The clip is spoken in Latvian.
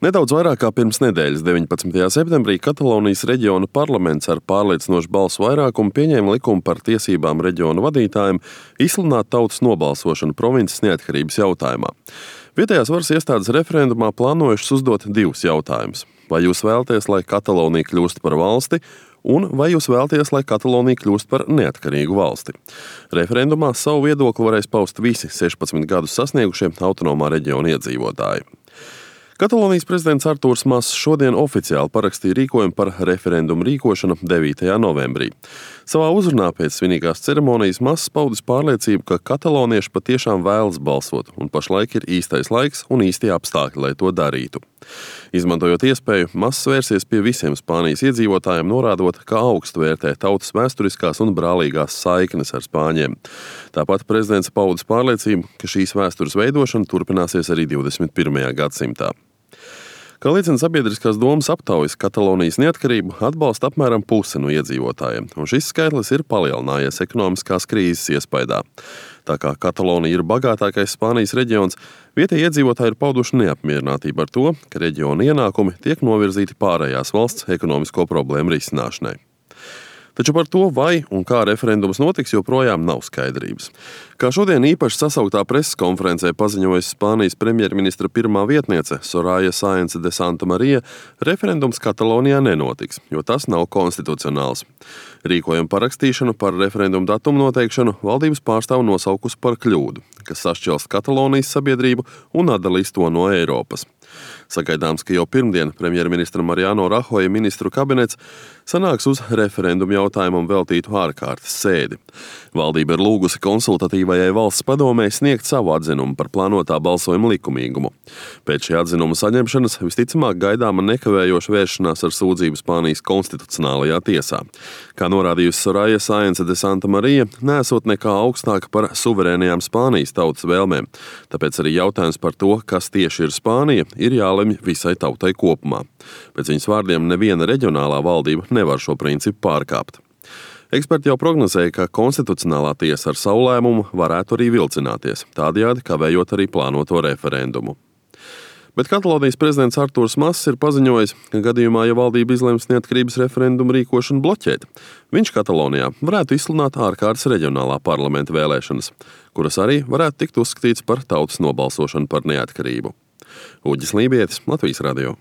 Nedaudz vairāk kā pirms nedēļas, 19. septembrī, Katalonijas reģiona parlaments ar pārliecinošu balsu vairākumu pieņēma likumu par tiesībām reģiona vadītājiem izsludināt tautas nobalsošanu provinces neatkarības jautājumā. Vietējās varas iestādes referendumā plānojušas uzdot divus jautājumus. Vai jūs vēlaties, lai Katalonija kļūst par valsti, un vai jūs vēlaties, lai Katalonija kļūst par neatkarīgu valsti? Referendumā savu viedokli varēs paust visi 16 gadus sasniegušie autonomā reģiona iedzīvotāji. Katalonijas prezidents Artūrs Mas šodien oficiāli parakstīja rīkojumu par referendumu rīkošanu 9. novembrī. Savā uzrunā pēc svinīgās ceremonijas Mas paudis pārliecību, ka katalonieši patiešām vēlas balsot, un pašlaik ir īstais laiks un īstie apstākļi, lai to darītu. Izmantojot iespēju, Mas vērsies pie visiem Spānijas iedzīvotājiem, norādot, ka augstu vērtē tautas vēsturiskās un brālīgās saiknes ar spāņiem. Tāpat prezidents paudis pārliecību, ka šīs vēstures veidošana turpināsies arī 21. gadsimtā. Kā liecina sabiedriskās domas aptaujas, Katalonijas neatkarību atbalsta apmēram puse no iedzīvotājiem, un šis skaitlis ir palielinājies ekonomiskās krīzes iespaidā. Tā kā Katalonija ir bagātākais Spānijas reģions, vietējie iedzīvotāji ir pauduši neapmierinātību ar to, ka reģiona ienākumi tiek novirzīti pārējās valsts ekonomisko problēmu risināšanai. Taču par to, vai un kā referendums notiks, joprojām nav skaidrības. Kā šodien īpaši sasauktā preses konferencē paziņojusi Spānijas premjerministra pirmā vietniece Soraya Sáenz de Santamaría, referendums Katalonijā nenotiks, jo tas nav konstitucionāls. Rīkojumu parakstīšanu par referendumu datumu noteikšanu valdības pārstāv nosaukusi par kļūdu, kas sašķelst Katalonijas sabiedrību un atdalīs to no Eiropas. Sagaidāms, ka jau pirmdien premjerministra Mariano Rajoja ministru kabinets sanāks uz referendumu jautājumam veltītu ārkārtas sēdi. Valdība ir lūgusi konsultatīvajai valsts padomei sniegt savu atzinumu par plānotā balsojuma likumīgumu. Pēc šī atzinuma saņemšanas visticamāk gaidāma nekavējoša vēršanās ar sūdzību Spānijas konstitucionālajā tiesā. Kā norādījusi Soraya Sáenz de Santamaría, neesot nekā augstāka par suverēnajām Spānijas tautas vēlmēm, tāpēc arī jautājums par to, kas tieši ir Spānija, ir jālemj visai tautai kopumā. Pēc viņas vārdiem neviena reģionālā valdība nevar šo principu pārkāpt. Eksperti jau prognozēja, ka konstitucionālā tiesa ar savu lēmumu varētu arī vilcināties, tādējādi kavējot arī plānoto referendumu. Bet Katalonijas prezidents Artūrs Mas ir paziņojis, ka gadījumā, ja valdība izlems neatkarības referendumu rīkošanu bloķēt, viņš Katalonijā varētu izsludināt ārkārtas reģionālā parlamenta vēlēšanas, kuras arī varētu tikt uzskatīts par tautas nobalsošanu par neatkarību. Uģis Lībietis, Latvijas radio.